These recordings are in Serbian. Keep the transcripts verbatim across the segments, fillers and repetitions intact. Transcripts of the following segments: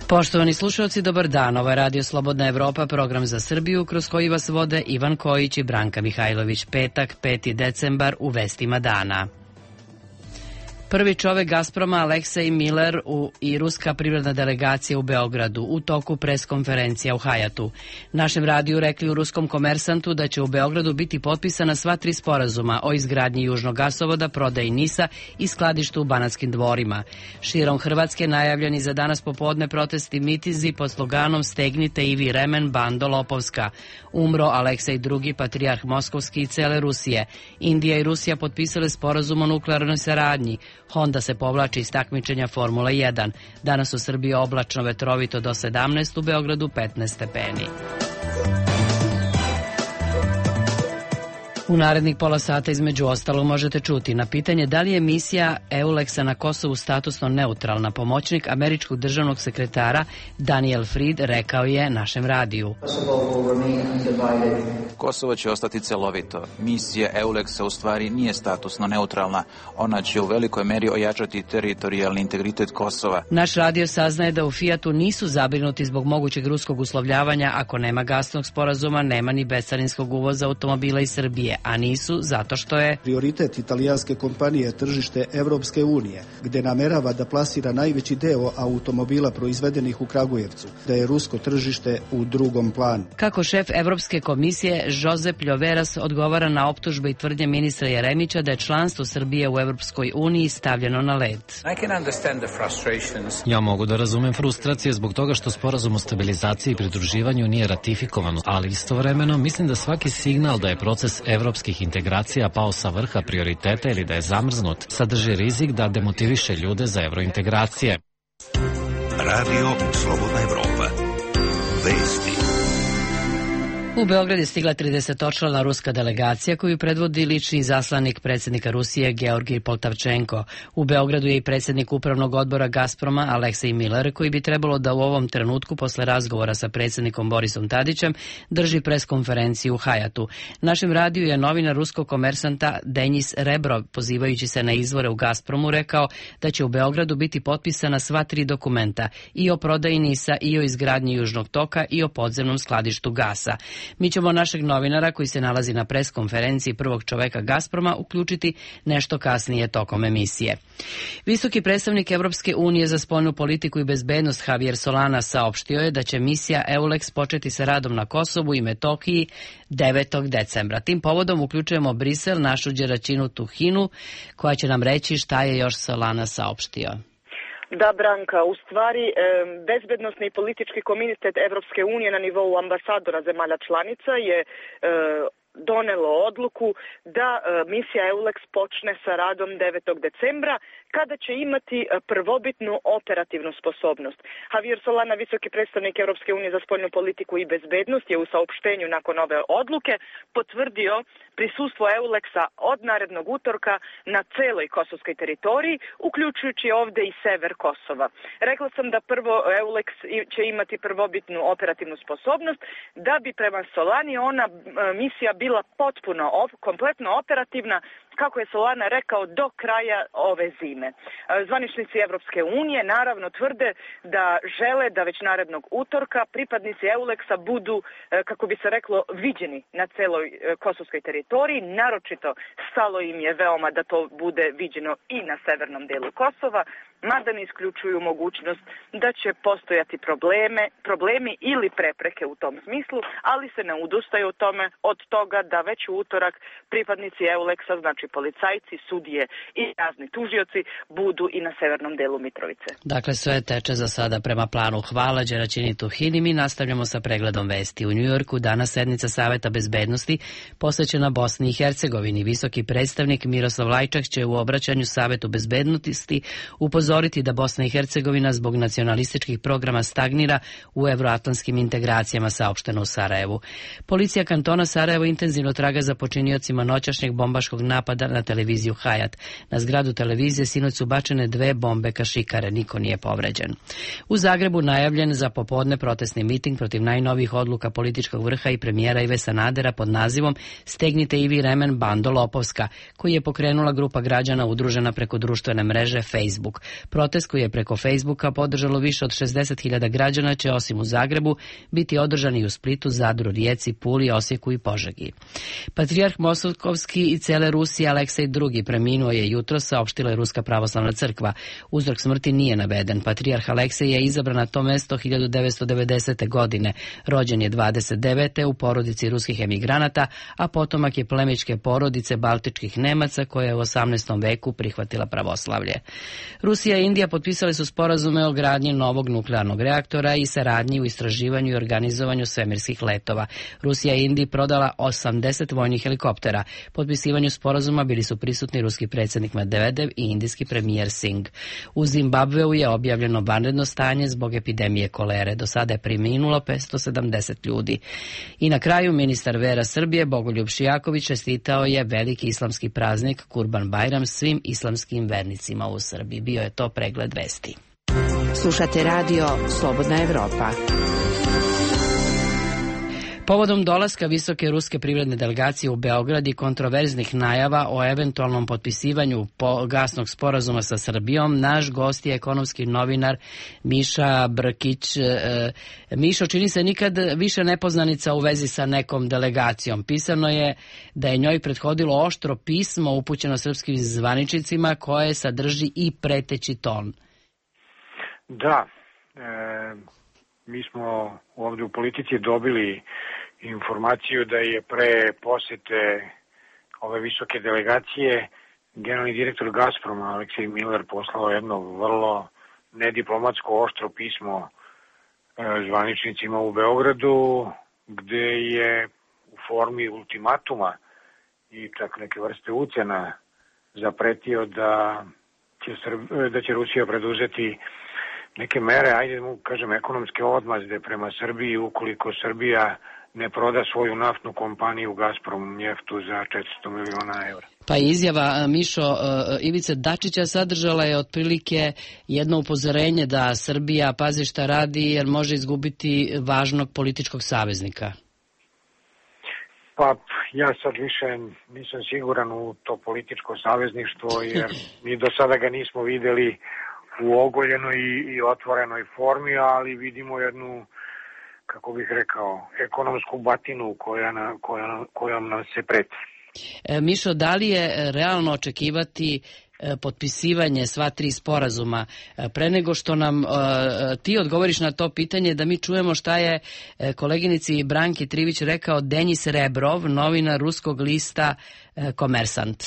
Poštovani slušalci, dobar dan. Ovo je Radio Slobodna Evropa, program za Srbiju, kroz koji vas vode Ivan Kojić i Branka Mihajlović. Petak, peti decembar, u vestima dana. Prvi čovek Gazproma Aleksej Miller u, i ruska privredna delegacija u Beogradu u toku preskonferencija u Hajatu. Našem radiju rekli u ruskom Komersantu da će u Beogradu biti potpisana sva tri sporazuma o izgradnji južnog gasovoda, prodaji NIS-a i skladištu u Banatskim dvorima. Širom Hrvatske najavljeni za danas popodne protesti mitinzi pod sloganom Stegnite Ivi remen, bando lopovska. Umro Aleksej drugi, patrijarh Moskovski i cele Rusije. Indija i Rusija potpisale sporazum o nuklearnoj saradnji. Honda se povlači iz takmičenja Formula jedan. Danas u Srbiji oblačno, vetrovito do sedamnaest, u Beogradu petnaest stepeni. U narednih pola sata između ostalo možete čuti na pitanje da li je misija EULEX-a na Kosovu statusno neutralna. Pomoćnik američkog državnog sekretara Daniel Fried rekao je našem radiju. Kosovo će ostati celovito. Misija EULEX-a u stvari nije statusno neutralna. Ona će u velikoj meri ojačati teritorijalni integritet Kosova. Naš radio saznaje da u Fijatu nisu zabrinuti zbog mogućeg ruskog uslovljavanja. Ako nema gasnog sporazuma, nema ni bescarinskog uvoza automobila iz Srbije. A nisu zato što je prioritet italijanske kompanije tržište Evropske unije, gde namerava da plasira najveći deo automobila proizvedenih u Kragujevcu, da je rusko tržište u drugom planu. Kako šef Evropske komisije Josep Ljoveras odgovara na optužbe i tvrdnje ministra Jeremića da je članstvo Srbije u Evropskoj uniji stavljeno na led. Ja mogu da razumem frustracije zbog toga što sporazum o stabilizaciji i pridruživanju nije ratifikovan, ali istovremeno mislim da svaki signal da je proces evropskih integracija pao sa vrha prioriteta ili da je zamrznut, sadrži rizik da demotiviše ljude za evrointegracije. Radio Slobodna Evropa. Vesti. U Beograd je stigla tridesetočlana ruska delegacija koju predvodi lični izaslanik predsjednika Rusije Georgij Poltavčenko. U Beogradu je i predsjednik upravnog odbora Gazproma Aleksej Miller, koji bi trebalo da u ovom trenutku posle razgovora sa predsjednikom Borisom Tadićem drži preskonferenciju u Hajatu. Našem radiju je novinar ruskog Komersanta Denis Rebrov, pozivajući se na izvore u Gazpromu, rekao da će u Beogradu biti potpisana sva tri dokumenta, i o prodaji NIS-a, i o izgradnji južnog toka, i o podzemnom skladištu gasa. Mi ćemo našeg novinara koji se nalazi na preskonferenciji prvog čoveka Gazproma uključiti nešto kasnije tokom emisije. Visoki predstavnik Evropske unije za spoljnu politiku i bezbednost Javier Solana saopštio je da će misija EULEX početi sa radom na Kosovu i Metohiji devetog decembra. Tim povodom uključujemo Brisel, našu Đeračinu Tuhinu, koja će nam reći šta je još Solana saopštio. Da, Branka, u stvari e, bezbednosni i politički komitet Evropske unije na nivou ambasadora zemalja članica je e, donelo odluku da e, misija EULEX počne sa radom devetog decembra, kada će imati prvobitnu operativnu sposobnost. Javier Solana, visoki predstavnik Evropske unije za spoljnu politiku i bezbednost, je u saopštenju nakon ove odluke potvrdio prisustvo EULEX-a od narednog utorka na celoj kosovskoj teritoriji, uključujući ovde i sever Kosova. Rekla sam da prvo EULEX će imati prvobitnu operativnu sposobnost, da bi prema Solani ona misija bila potpuno, kompletno operativna, kako je Solana rekao, do kraja ove zime. Zvaničnici Evropske unije naravno tvrde da žele da već narednog utorka pripadnici EULEX-a budu, kako bi se reklo, viđeni na celoj kosovskoj teritoriji. Naročito stalo im je veoma da to bude viđeno i na severnom delu Kosova, mada ne isključuju mogućnost da će postojati probleme, problemi ili prepreke u tom smislu, ali se ne odustaju od tome, od toga da već u utorak pripadnici EULEX-a, znači policajci, sudije i razni tužioci, budu i na severnom delu Mitrovice. Dakle, sve teče za sada prema planu. Hvala Đeračini Tuhini. Mi nastavljamo sa pregledom vesti. U Njujorku danas sednica Saveta bezbednosti posvećena Bosni i Hercegovini. Visoki predstavnik Miroslav Lajčak će u obraćanju Savetu bezbednosti upozoriti da Bosna i Hercegovina zbog nacionalističkih programa stagnira u evroatlantskim integracijama, saopšteno u Sarajevu. Policija kantona Sarajevo intenzivno traga za počiniocima noćašnjeg bombaškog napada napada na televiziju Hayat. Na zgradu televizije sinoć su bačene dve bombe kašikare, niko nije povređen. U Zagrebu najavljen za popodne protestni miting protiv najnovijih odluka političkog vrha i premijera Ive Sanadera pod nazivom Stegnite Ivi remen, bando lopovska, koji je pokrenula grupa građana udružena preko društvene mreže Facebook. Protest koji je preko Facebooka podržalo više od šezdeset hiljada građana će osim u Zagrebu biti održan i u Splitu, Zadru, Rijeci, Puli, Osijeku i Požegi. Patrijarh Moskovski i cele Rusije Aleksej drugi preminuo je jutros, saopštila je Ruska pravoslavna crkva. Uzrok smrti nije naveden. Patrijarh Aleksej je izabran na to mesto hiljadu devetsto devedesete. godine. Rođen je dvadeset devete. u porodici ruskih emigranata, a potomak je plemićke porodice baltičkih Nemaca koja je u osamnaestom veku prihvatila pravoslavlje. Rusija i Indija potpisali su sporazume o gradnji novog nuklearnog reaktora i saradnji u istraživanju i organizovanju svemirskih letova. Rusija je Indiji prodala osamdeset vojnih helikoptera. Potpisivanju sporazuma bili su prisutni ruski predsjednik Medvedev i indijski premijer Singh. U Zimbabveu je objavljeno vanredno stanje zbog epidemije kolere. Do sada je preminulo petsto sedamdeset ljudi. I na kraju ministar vera Srbije Bogoljub Šijaković čestitao je veliki islamski praznik Kurban Bajram svim islamskim vernicima u Srbiji. Bio je to pregled vesti. Slušate radio Slobodna Evropa. Povodom dolaska visoke ruske privredne delegacije u Beograd i kontroverznih najava o eventualnom potpisivanju gasnog sporazuma sa Srbijom, naš gost je ekonomski novinar Miša Brkić. Mišo, čini se nikad više nepoznanica u vezi sa nekom delegacijom. Pisano je da je njoj prethodilo oštro pismo upućeno srpskim zvaničnicima koje sadrži i preteći ton. Da, e, mi smo ovdje u politici dobili informaciju da je pre posete ove visoke delegacije generalni direktor Gazproma Aleksej Miller poslao jedno vrlo nediplomatsko oštro pismo zvaničnicima u Beogradu, gde je u formi ultimatuma i čak neke vrste ucena zapretio da će, Srb, da će Rusija preduzeti neke mere, ajde mu kažem, ekonomske odmazde prema Srbiji ukoliko Srbija ne proda svoju naftnu kompaniju Gazprom njeftu za četiristo miliona evra. Pa izjava, Mišo, Ivice Dačića sadržala je otprilike jedno upozorenje da Srbija pazi šta radi jer može izgubiti važnog političkog saveznika. Pa ja sad više nisam siguran u to političko savezništvo jer mi do sada ga nismo videli u ogoljenoj i otvorenoj formi, ali vidimo jednu, kako bih rekao, ekonomsku batinu koja, na, koja, kojom nam se preti. E, Mišo, da li je realno očekivati e, potpisivanje sva tri sporazuma e, pre nego što nam e, ti odgovoriš na to pitanje, da mi čujemo šta je e, koleginici Branki Trivić rekao Denis Rebrov, novinar ruskog lista e, Komersant?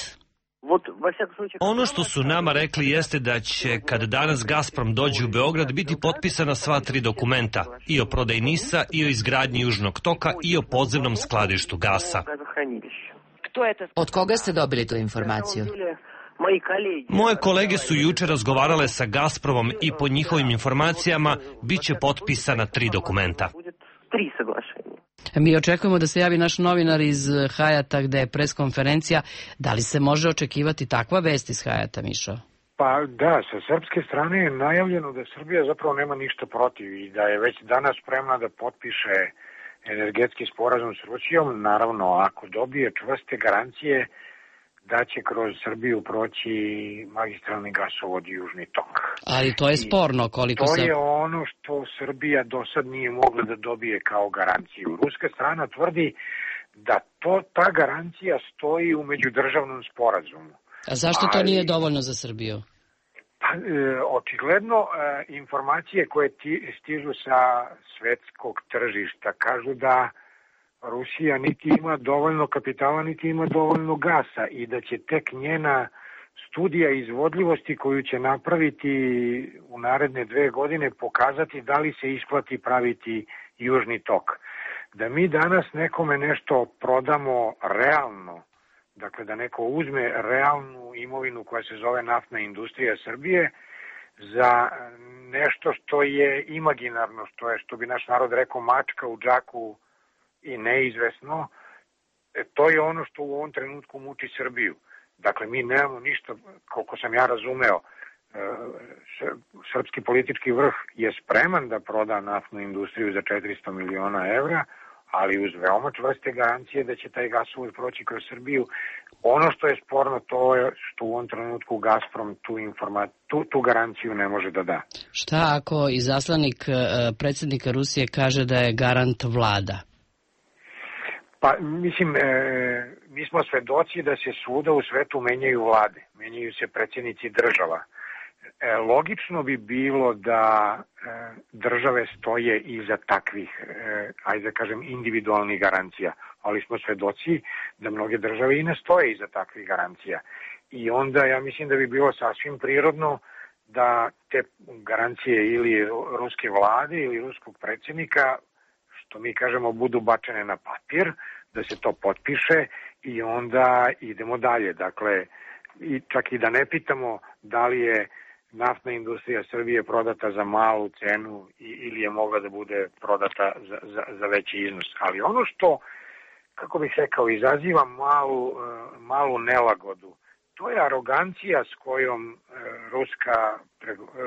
Ono što su nama rekli jeste da će, kad danas Gazprom dođe u Beograd, biti potpisana sva tri dokumenta, i o prodaji NIS-a, i o izgradnji Južnog toka, i o podzemnom skladištu gasa. Od koga ste dobili tu informaciju? Moje kolege su juče razgovarale sa Gazpromom i po njihovim informacijama bit će potpisana tri dokumenta. Mi očekujemo da se javi naš novinar iz Hayata gde je preskonferencija. Da li se može očekivati takva vest iz Hayata, Mišo? Pa da, sa srpske strane je najavljeno da Srbija zapravo nema ništa protiv i da je već danas spremna da potpiše energetski sporazum s Rusijom, naravno ako dobije čvrste garancije da će kroz Srbiju proći magistralni gasovod i Južni tok. Ali to je sporno koliko se... To sam... je ono što Srbija do sad nije mogla da dobije kao garanciju. Ruska strana tvrdi da to, ta garancija stoji u međudržavnom sporazumu. A zašto to Ali... nije dovoljno za Srbiju? Pa, e, očigledno e, informacije koje ti, stižu sa svetskog tržišta kažu da Rusija niti ima dovoljno kapitala, niti ima dovoljno gasa i da će tek njena studija izvodljivosti koju će napraviti u naredne dve godine pokazati da li se isplati praviti Južni tok. Da mi danas nekome nešto prodamo realno, dakle da neko uzme realnu imovinu koja se zove naftna industrija Srbije za nešto što je imaginarno, što je, što bi naš narod rekao, mačka u džaku i neizvesno, to je ono što u ovom trenutku muči Srbiju. Dakle, mi nemamo ništa, koliko sam ja razumeo, srpski politički vrh je spreman da proda naftnu industriju za četiristo miliona evra, ali uz veoma čvrste garancije da će taj gasovod proći kroz Srbiju. Ono što je sporno to je što u ovom trenutku Gazprom tu, informa, tu, tu garanciju ne može da da. Šta ako izaslanik predsjednika Rusije kaže da je garant vlada? Pa, mislim, e, mi smo svedoci da se svuda u svetu menjaju vlade, menjaju se predsjednici država. E, logično bi bilo da e, države stoje iza takvih, e, ajde da kažem, individualnih garancija, ali smo svedoci da mnoge države i ne stoje iza takvih garancija. I onda ja mislim da bi bilo sasvim prirodno da te garancije ili ruske vlade ili ruskog predsjednika, što mi kažemo, budu bačene na papir, da se to potpiše i onda idemo dalje. Dakle, i čak i da ne pitamo da li je naftna industrija Srbije prodata za malu cenu ili je mogla da bude prodata za, za, za veći iznos. Ali ono što, kako bih rekao, izaziva malu, malu nelagodu, to je arogancija s kojom ruska,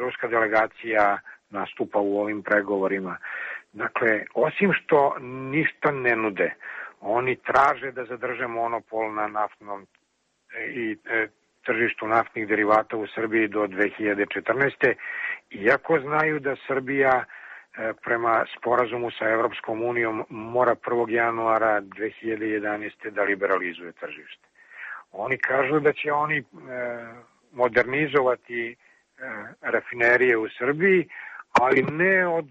ruska delegacija nastupa u ovim pregovorima. Dakle, osim što ništa ne nude, oni traže da zadrže monopol na naftnom i e, tržištu naftnih derivata u Srbiji do dve hiljade četrnaeste. Iako znaju da Srbija e, prema sporazumu sa Evropskom unijom mora prvog januara dve hiljade jedanaeste. da liberalizuje tržište. Oni kažu da će oni e, modernizovati e, rafinerije u Srbiji, ali ne od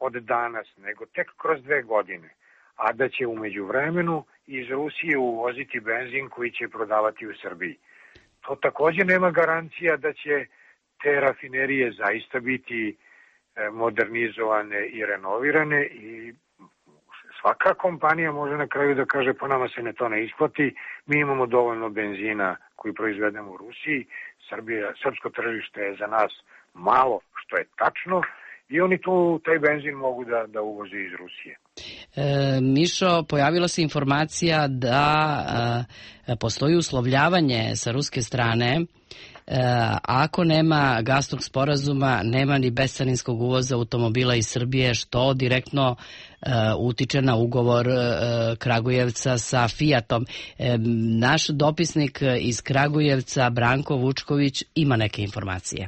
od danas, nego tek kroz dve godine, a da će umeđu vremenu iz Rusije uvoziti benzin koji će prodavati u Srbiji. To također nema garancija da će te rafinerije zaista biti modernizovane i renovirane i svaka kompanija može na kraju da kaže po nama se ne to ne isplati, mi imamo dovoljno benzina koji proizvedemo u Rusiji, Srbija, srpsko tržište je za nas malo, što je tačno, i oni tu taj benzin mogu da, da uvoze iz Rusije. E, Mišo, pojavila se informacija da e, postoji uslovljavanje sa ruske strane. E, ako nema gasnog sporazuma, nema ni bescarinskog uvoza automobila iz Srbije, što direktno e, utiče na ugovor e, Kragujevca sa Fiatom. E, naš dopisnik iz Kragujevca, Branko Vučković, ima neke informacije.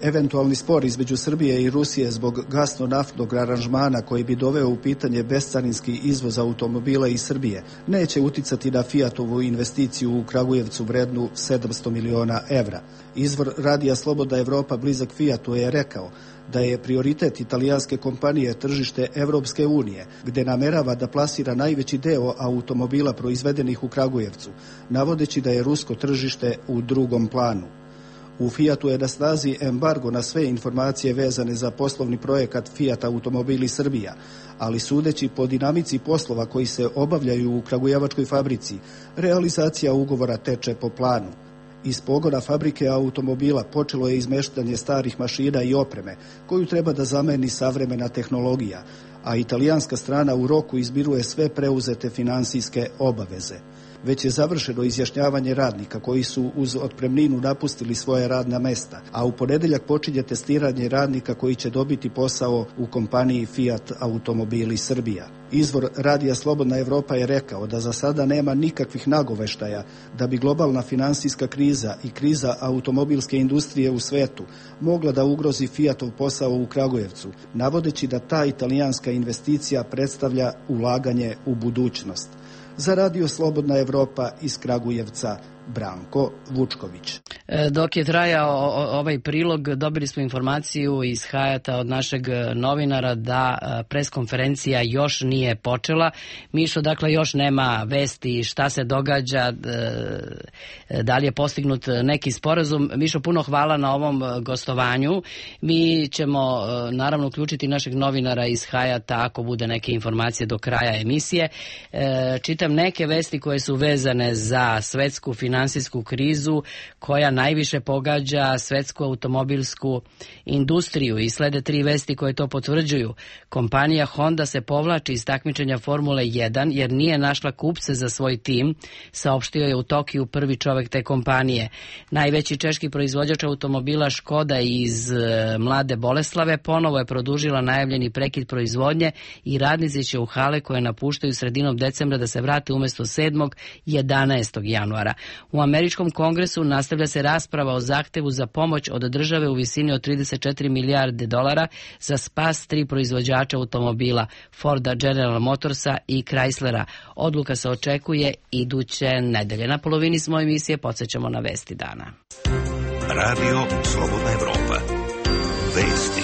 Eventualni spor između Srbije i Rusije zbog gasno-naftnog aranžmana koji bi doveo u pitanje bescarinski izvoz automobila iz Srbije neće uticati na Fiatovu investiciju u Kragujevcu vrednu sedamsto miliona evra. Izvor radija Slobodna Evropa blizak Fiatu je rekao da je prioritet italijanske kompanije tržište Evropske unije, gde namerava da plasira najveći deo automobila proizvedenih u Kragujevcu, navodeći da je rusko tržište u drugom planu. U Fiatu je na snazi embargo na sve informacije vezane za poslovni projekat Fiat Automobili Srbija, ali sudeći po dinamici poslova koji se obavljaju u kragujevačkoj fabrici, realizacija ugovora teče po planu. Iz pogona fabrike automobila počelo je izmeštanje starih mašina i opreme, koju treba da zameni savremena tehnologija, a italijanska strana u roku izmiruje sve preuzete finansijske obaveze. Već je završeno izjašnjavanje radnika koji su uz otpremninu napustili svoje radna mesta, a u ponedeljak počinje testiranje radnika koji će dobiti posao u kompaniji Fiat Automobili Srbija. Izvor radija Slobodna Evropa je rekao da za sada nema nikakvih nagoveštaja da bi globalna finansijska kriza i kriza automobilske industrije u svetu mogla da ugrozi Fiatov posao u Kragujevcu, navodeći da ta italijanska investicija predstavlja ulaganje u budućnost. Za radio Slobodna Evropa iz Kragujevca, Branko Vučković. Dok je trajao ovaj prilog, dobili smo informaciju iz Hajata od našeg novinara da preskonferencija još nije počela. Mišo, dakle, još nema vesti šta se događa, da li je postignut neki sporazum. Mišo, puno hvala na ovom gostovanju. Mi ćemo naravno uključiti našeg novinara iz Hajata ako bude neke informacije do kraja emisije. Čitam neke vesti koje su vezane za svetsku finansiju finansijsku krizu koja najviše pogađa svetsku automobilsku industriju i slede tri vesti koje to potvrđuju. Kompanija Honda se povlači iz takmičenja Formule jedan jer nije našla kupce za svoj tim, saopštio je u Tokiju prvi čovek te kompanije. Najveći češki proizvođač automobila Škoda iz Mlade Boleslave ponovo je produžila najavljeni prekid proizvodnje i radnici će u hale koje napuštaju sredinom decembra da se vrate umesto sedmog i jedanaestog januara. U američkom kongresu nastavlja se rasprava o zahtevu za pomoć od države u visini od trideset četiri milijarde dolara za spas tri proizvođača automobila Forda, General Motorsa i Chryslera. Odluka se očekuje iduće nedelje. Na polovini smo emisije, podsjećamo na vesti dana. Radio Slobodna Evropa. Vesti.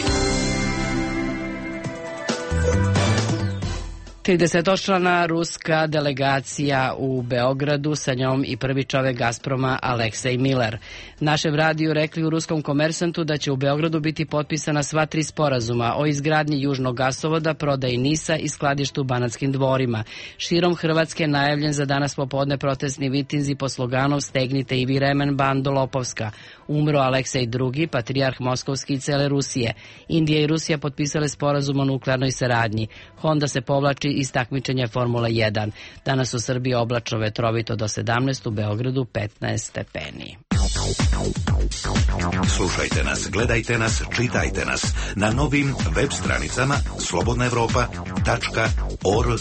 tridesetočlana ruska delegacija u Beogradu, sa njom i prvi čovek Gazproma Aleksej Miller. Našem radiju rekli u ruskom Komersantu da će u Beogradu biti potpisana sva tri sporazuma o izgradnji južnog gasovoda, prodaji NIS-a i skladištu u Banatskim dvorima. Širom Hrvatske najavljen za danas popodne protestni mitinzi po sloganu "Stegnite i vi remen, bando lopovska". Umro Aleksej drugi, patrijarh Moskovski i cele Rusije. Indija i Rusija potpisale sporazum o nuklearnoj saradnji. Honda se povlači iz takmičenja Formula jedan. Danas u Srbiji oblačno, vetrovito do sedamnaest, u Beogradu petnaest stepeni. Slušajte nas, gledajte nas, čitajte nas na novim web stranicama slobodna evropa tačka org.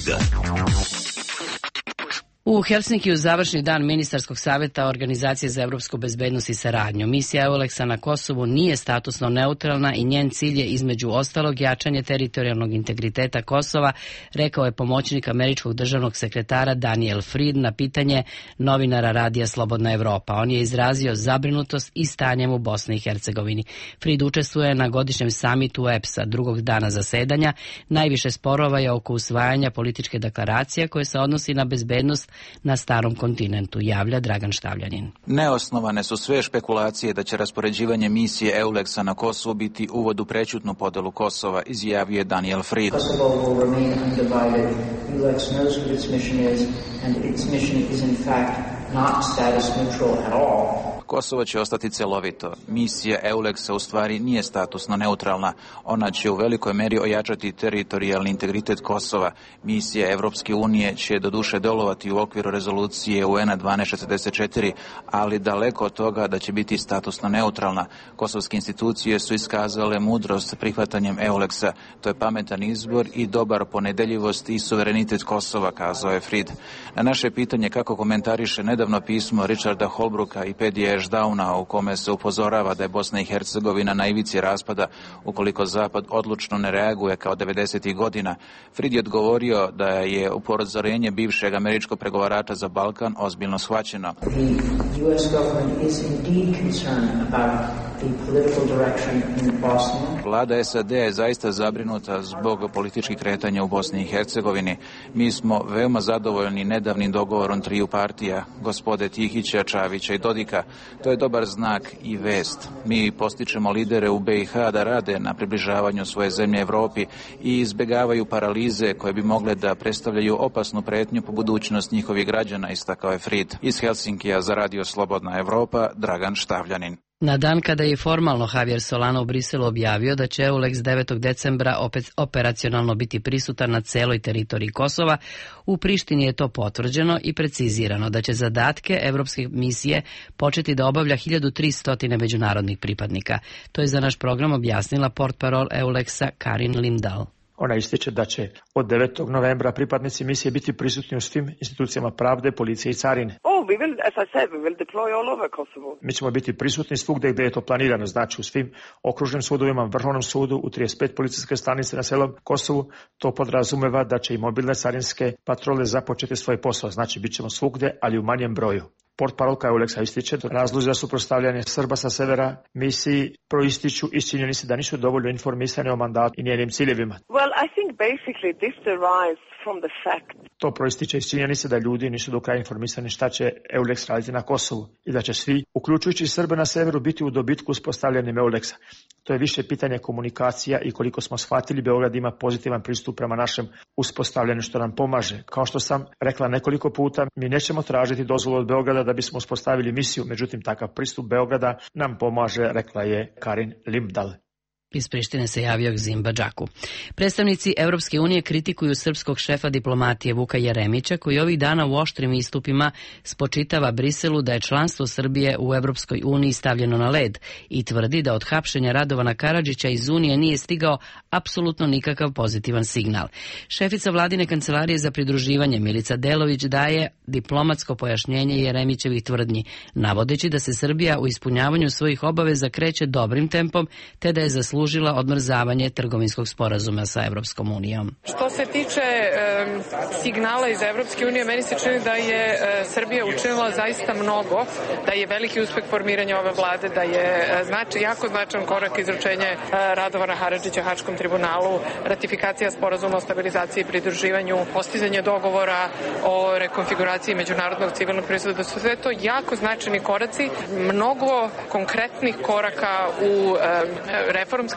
U Helsinkiju završni dan ministarskog savjeta Organizacije za evropsku bezbednost i saradnju. Misija Euleksa na Kosovu nije statusno neutralna i njen cilj je između ostalog jačanje teritorijalnog integriteta Kosova, rekao je pomoćnik američkog državnog sekretara Daniel Fried na pitanje novinara radija Slobodna Evropa. On je izrazio zabrinutost i stanjem u Bosni i Hercegovini. Fried učestvuje na godišnjem samitu E P S-a drugog dana zasedanja. Najviše sporova je oko usvajanja političke deklaracije koje se odnosi na bezbednost na starom kontinentu, javlja Dragan Štavljanin. Neosnovane su sve špekulacije da će raspoređivanje misije Euleksa na Kosovu biti uvod u prećutnu podelu Kosova, izjavio je Daniel Fried. Kosovo će ostati celovito. Misija Euleksa u stvari nije statusno neutralna. Ona će u velikoj meri ojačati teritorijalni integritet Kosova. Misija Evropske unije će doduše delovati u okviru rezolucije U N-a dvanaest četrdeset četiri, ali daleko od toga da će biti statusno neutralna. Kosovske institucije su iskazale mudrost prihvatanjem Euleksa. To je pametan izbor i dobar ponedeljivost i suverenitet Kosova, kazao je Fried. Na naše pitanje kako komentariše nedavno pismo Richarda Holbrooka i Pedija Downa, u kome se upozorava da je Bosna i Hercegovina na ivici raspada ukoliko Zapad odlučno ne reaguje kao devedesetih godina, Fried je odgovorio da je upozorenje bivšeg američkog pregovarača za Balkan ozbiljno shvaćeno. Vlada S A D je zaista zabrinuta zbog političkih kretanja u Bosni i Hercegovini. Mi smo veoma zadovoljni nedavnim dogovorom triju partija, gospode Tihića, Čavića i Dodika. To je dobar znak i vest. Mi postičemo lidere u B i H da rade na približavanju svoje zemlje Evropi i izbjegavaju paralize koje bi mogle da predstavljaju opasnu pretnju po budućnost njihovih građana, istakao je Fried. Iz Helsinkija za Radio Slobodna Evropa, Dragan Štavljanin. Na dan kada je formalno Javier Solana u Briselu objavio da će Euleks devetog decembra opet operacionalno biti prisutan na celoj teritoriji Kosova, u Prištini je to potvrđeno i precizirano da će zadatke evropske misije početi da obavlja hiljadu tristo međunarodnih pripadnika. To je za naš program objasnila portparol Euleksa Karin Limdal. Ona ističe da će od devetog novembra pripadnici misije biti prisutni u svim institucijama pravde, policije i carine. Oh, we will, as I said, we will deploy all over Kosovo. Mi ćemo biti prisutni svugde gde je to planirano, znači u svim okružnim sudovima, Vrhovnom sudu, u trideset pet policijske stanice na celom Kosovu. To podrazumeva da će i mobilne carinske patrole započeti svoj posao, znači bit ćemo svugde, ali u manjem broju. Portparolka Euleksa ističe da razlozi za suprotstavljanje Srba sa severa misiji proističu iz činjenice da nisu dovoljno informisani o mandatu i njenim ciljevima. Well, I think basically this derives from the fact To proističe iz činjenice da ljudi nisu do kraja informisani šta će EULEX raditi na Kosovu i da će svi, uključujući Srbe na severu, biti u dobitku uspostavljanjem EULEX-a. To je više pitanje komunikacija i koliko smo shvatili, Beograd ima pozitivan pristup prema našem uspostavljanju što nam pomaže. Kao što sam rekla nekoliko puta, mi nećemo tražiti dozvolu od Beograda da bismo uspostavili misiju, međutim takav pristup Beograda nam pomaže, rekla je Karin Limdal. Iz Prištine se javio Gzimba Džaku. Predstavnici Evropske unije kritikuju srpskog šefa diplomatije Vuka Jeremića, koji ovih dana u oštrim istupima spočitava Briselu da je članstvo Srbije u Evropskoj uniji stavljeno na led i tvrdi da od hapšenja Radovana Karadžića iz Unije nije stigao apsolutno nikakav pozitivan signal. Šefica vladine kancelarije za pridruživanje Milica Delović daje diplomatsko pojašnjenje Jeremićevih tvrdnji, navodeći da se Srbija u ispunjavanju svojih obaveza kreće dobrim tempom, te da je zaslužila služila odmrzavanje trgovinskog sporazuma sa Evropskom unijom. Što se tiče e, signala iz Evropske unije, meni se čini da je e, Srbija učinila zaista mnogo, da je veliki uspeh formiranja ove vlade, da je e, znači, jako značajan korak izručenje e, Radovana Karadžića Haškom tribunalu, ratifikacija sporazuma o stabilizaciji i pridruživanju, postizanje dogovora o rekonfiguraciji međunarodnog civilnog pristupa, da su sve to jako značajni koraci, mnogo konkretnih koraka u e, reformskim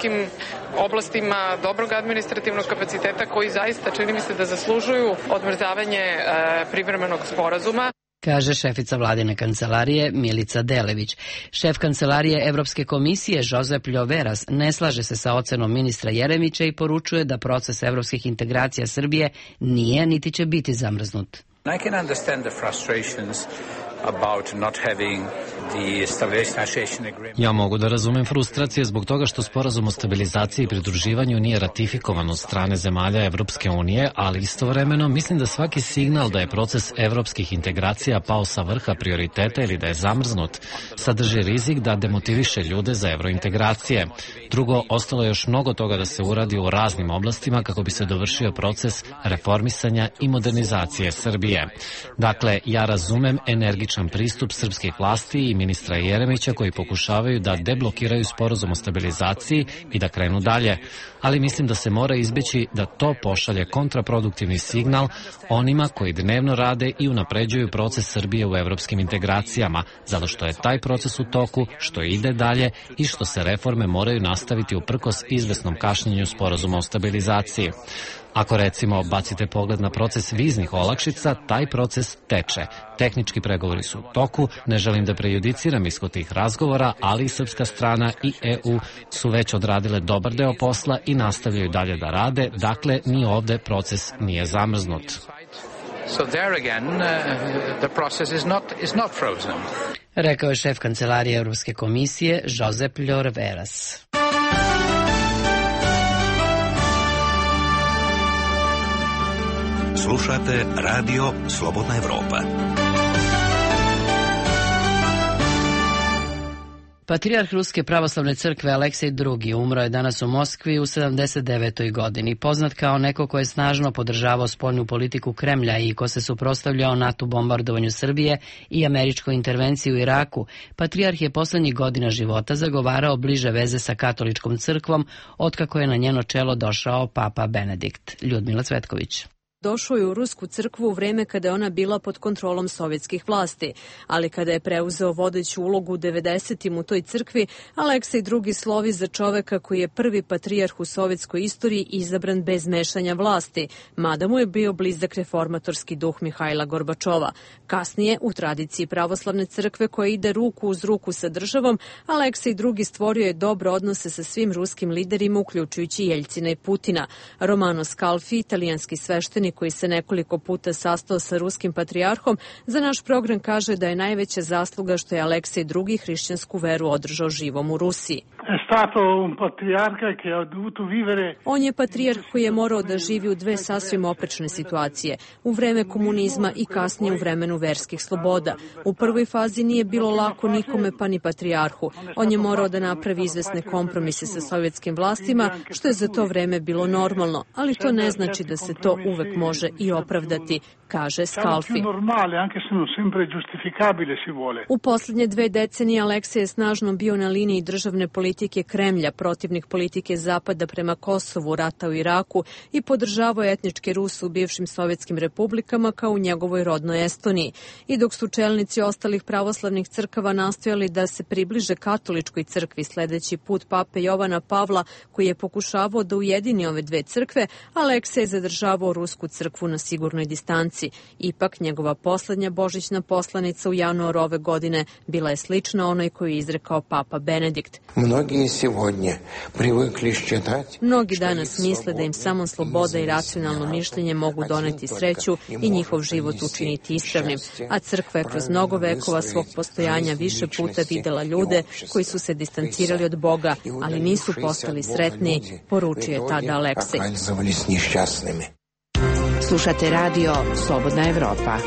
oblastima dobrog administrativnog kapaciteta koji zaista čini mi se da zaslužuju odmrzavanje e, privremenog sporazuma. Kaže šefica vladine kancelarije Milica Delević. Šef kancelarije Evropske komisije Josep Ljoveras ne slaže se sa ocenom ministra Jeremića i poručuje da proces evropskih integracija Srbije nije niti će biti zamrznut. I can understand the frustrations about not having the stabilization agreement. Ja mogu da razumem frustracije zbog toga što sporazum o stabilizaciji i pridruživanju nije ratifikovan od strane zemalja Evropske unije, ali istovremeno mislim da svaki signal da je proces evropskih integracija pao sa vrha prioriteta ili da je zamrznut, sadrži rizik da demotiviše ljude za evrointegracije. Drugo, ostalo je još mnogo toga da se uradi u raznim oblastima kako bi se dovršio proces reformisanja i modernizacije Srbije. Dakle, ja razumem energičan pristup srpskih vlasti i ministra Jeremića koji pokušavaju da deblokiraju sporazum o stabilizaciji i da krenu dalje, ali mislim da se mora izbeći da to pošalje kontraproduktivni signal onima koji dnevno rade i unapređuju proces Srbije u evropskim integracijama, zato što je taj proces u toku, što ide dalje i što se reforme moraju nastaviti uprkos izvesnom kašnjenju sporazuma o stabilizaciji. Ako recimo bacite pogled na proces viznih olakšica, taj proces teče. Tehnički pregovori su u toku, ne želim da prejudiciram ishod tih razgovora, ali i srpska strana i E U su već odradile dobar deo posla i nastavljaju dalje da rade, dakle ni ovde proces nije zamrznut. So there again, uh, the process is not, is not frozen. Rekao je šef kancelarije Evropske komisije Josep Ljoveras. Slušate Radio Slobodna Evropa. Patrijarh Ruske pravoslavne crkve Aleksej drugi umro je danas u Moskvi u sedamdeset devetoj godini. Poznat kao neko ko je snažno podržavao spoljnu politiku Kremlja i ko se suprotstavljao NATO bombardovanju Srbije i američkoj intervenciji u Iraku, patrijarh je poslednjih godina života zagovarao bliže veze sa katoličkom crkvom, otkako je na njeno čelo došao papa Benedikt. Ljudmila Cvetković. Došao je u Rusku crkvu u vreme kada je ona bila pod kontrolom sovjetskih vlasti, ali kada je preuzeo vodeću ulogu u devedesetim u toj crkvi, Aleksej drugi slovi za čoveka koji je prvi patrijarh u sovjetskoj istoriji izabran bez mešanja vlasti, mada mu je bio blizak reformatorski duh Mihajla Gorbačova. Kasnije, u tradiciji pravoslavne crkve koja ide ruku uz ruku sa državom, Aleksej drugi stvorio je dobre odnose sa svim ruskim liderima, uključujući Jeljcina i Putina. Romano Scalfi, italijanski sveštenik koji se nekoliko puta sastao sa ruskim patrijarhom, za naš program kaže da je najveća zasluga što je Aleksej drugi hrišćansku veru održao živom u Rusiji. On je patrijarh koji je morao da živi u dve sasvim oprečne situacije, u vreme komunizma i kasnije u vremenu verskih sloboda. U prvoj fazi nije bilo lako nikome pa ni patrijarhu. On je morao da napravi izvesne kompromise sa sovjetskim vlastima, što je za to vreme bilo normalno, ali to ne znači da se to uvek može i opravdati, kaže Scalfi. U posljednje dve decenije Aleksej je snažno bio na liniji državne politike Kremlja, protivnik politike Zapada prema Kosovu, rata u Iraku i podržavao etničke Ruse u bivšim sovjetskim republikama kao u njegovoj rodnoj Estoniji. I dok su čelnici ostalih pravoslavnih crkava nastojali da se približe katoličkoj crkvi sledeći put pape Jovana Pavla, koji je pokušavao da ujedini ove dve crkve, Aleksej je zadržavao rusku crkvu na sigurnoj distanci. Ipak, njegova poslednja božićna poslanica u januaru ove godine bila je slična onoj koju je izrekao papa Benedikt. Mnogi danas misle da im samo sloboda i racionalno mišljenje mogu doneti sreću i njihov život učiniti ispravnim, a crkva je kroz mnogo vekova svog postojanja više puta videla ljude koji su se distancirali od Boga, ali nisu postali sretni, poručio je tada Aleksej. Slušate radio Slobodna Evropa.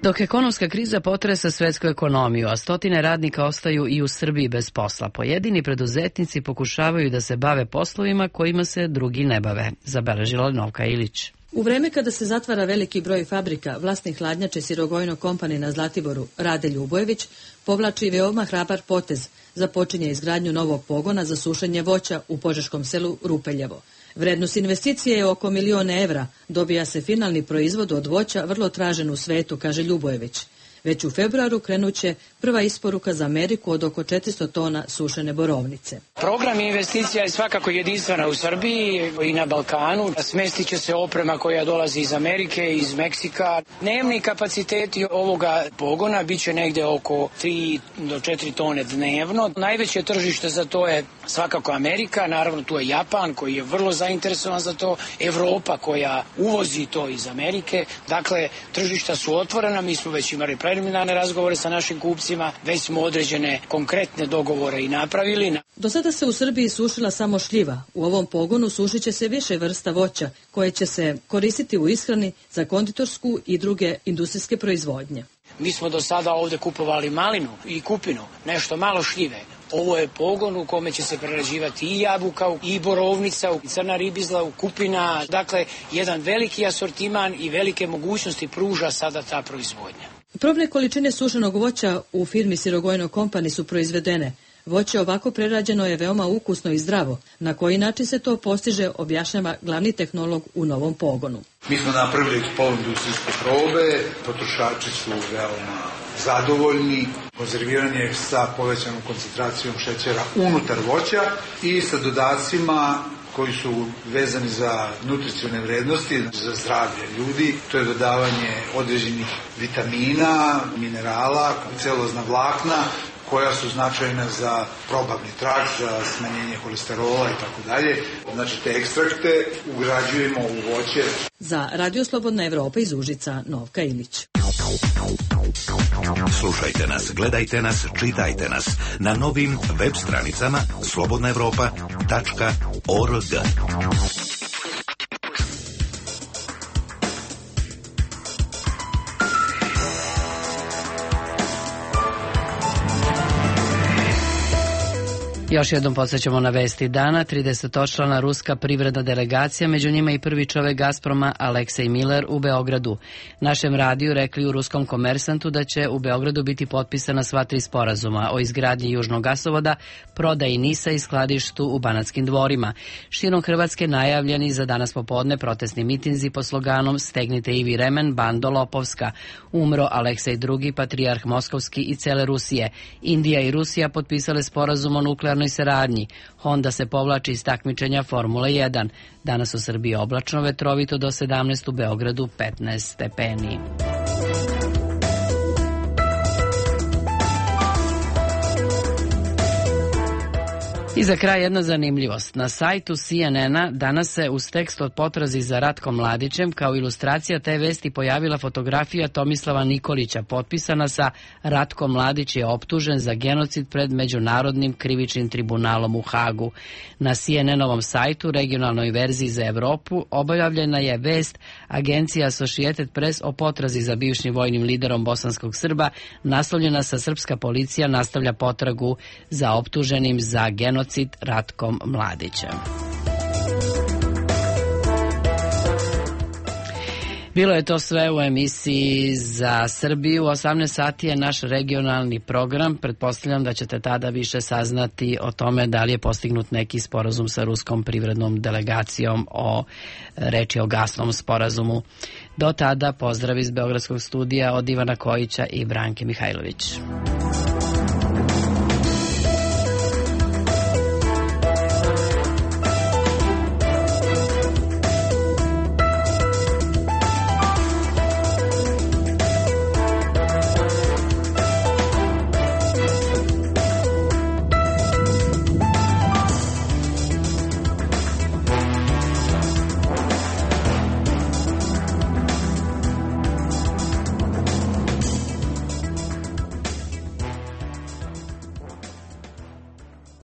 Dok ekonomska kriza potresa svetsku ekonomiju, a stotine radnika ostaju i u Srbiji bez posla, pojedini preduzetnici pokušavaju da se bave poslovima kojima se drugi ne bave, zabeležila Novka Ilić. U vreme kada se zatvara veliki broj fabrika, vlasnik hladnjače Sirogojno Company na Zlatiboru, Rade Ljubojević, povlači veoma hrabar potez, započinje izgradnju novog pogona za sušenje voća u požeškom selu Rupeljevo. Vrednost investicije je oko milion evra, dobija se finalni proizvod od voća vrlo tražen u svetu, kaže Ljubojević. Već u februaru krenuće prva isporuka za Ameriku od oko četiristo tona sušene borovnice. Program investicija je svakako jedinstvena u Srbiji i na Balkanu. Smestit će se oprema koja dolazi iz Amerike, iz Meksika. Dnevni kapaciteti ovoga pogona bit će negde oko tri do četiri tone dnevno. Najveće tržište za to je svakako Amerika, naravno tu je Japan koji je vrlo zainteresovan za to, Evropa koja uvozi to iz Amerike. Dakle, tržišta su otvorena, mi smo već imali preliminarne razgovore sa našim kupcima, već smo određene konkretne dogovore i napravili. Do sada se u Srbiji sušila samo šljiva. U ovom pogonu sušit će se više vrsta voća koje će se koristiti u ishrani za konditorsku i druge industrijske proizvodnje. Mi smo do sada ovde kupovali malinu i kupinu, nešto malo šljive. Ovo je pogon u kome će se prerađivati i jabuka, i borovnica, i crna ribizla, kupina. Dakle, jedan veliki asortiman i velike mogućnosti pruža sada ta proizvodnja. Probne količine sušenog voća u firmi Sirogojno Company su proizvedene. Voće ovako prerađeno je veoma ukusno i zdravo. Na koji način se to postiže, objašnjava glavni tehnolog u novom pogonu. Mi smo napravili poluindustrijske probe, potrošači su veoma zadovoljni, konzerviranje sa povećanom koncentracijom šećera unutar voća i sa dodacima koji su vezani za nutricione vrednosti, za zdravlje ljudi. To je dodavanje određenih vitamina, minerala, celulozna vlakna, koja su značajna za probavni trakt, za smanjenje kolesterola i tako dalje. Znači, te ekstrakte ugrađujemo u voće. Za Radio Slobodna Evropa iz Užica, Novka Ilić. Slušajte nas, gledajte nas, čitajte nas na novim web stranicama slobodna evropa tačka org. Još jednom podsjećamo na vesti dana. tridesetočlana ruska privredna delegacija, među njima i prvi čovek Gazproma Aleksej Miller u Beogradu. Našem radiju rekli u ruskom Komersantu da će u Beogradu biti potpisana sva tri sporazuma o izgradnji južnog gasovoda, prodaji NIS-a i skladištu u Banatskim dvorima. Širom Hrvatske najavljeni za danas popodne protestni mitinzi pod sloganom Stegnite Ivi remen, bando lopovska. Umro Aleksej drugi, patrijarh Moskovski i cele Rusije. Indija i Rusija potpisale sporazum o nuklearnoj saradnji. Honda se povlači iz takmičenja Formule jedan. Danas u Srbiji oblačno, vetrovito do sedamnaest, u Beogradu petnaest stepeni. I za kraj jedna zanimljivost. Na sajtu C N N-a danas se uz tekst od potrazi za Ratkom Mladićem kao ilustracija te vesti pojavila fotografija Tomislava Nikolića potpisana sa Ratko Mladić je optužen za genocid pred Međunarodnim krivičnim tribunalom u Hagu. Na C N N-ovom sajtu, regionalnoj verziji za Evropu, objavljena je vest agencija Associated Press o potrazi za bivšim vojnim liderom bosanskog Srba, naslovljena sa srpska policija nastavlja potragu za optuženim za genocid Ratkom Mladićem. Bilo je to sve u emisiji za Srbiju. U osamnaest sati je naš regionalni program. Pretpostavljam da ćete tada više saznati o tome da li je postignut neki sporazum sa ruskom privrednom delegacijom o reči o gasnom sporazumu. Do tada pozdrav iz Beogradskog studija od Ivana Kojića i Branke Mihajlović.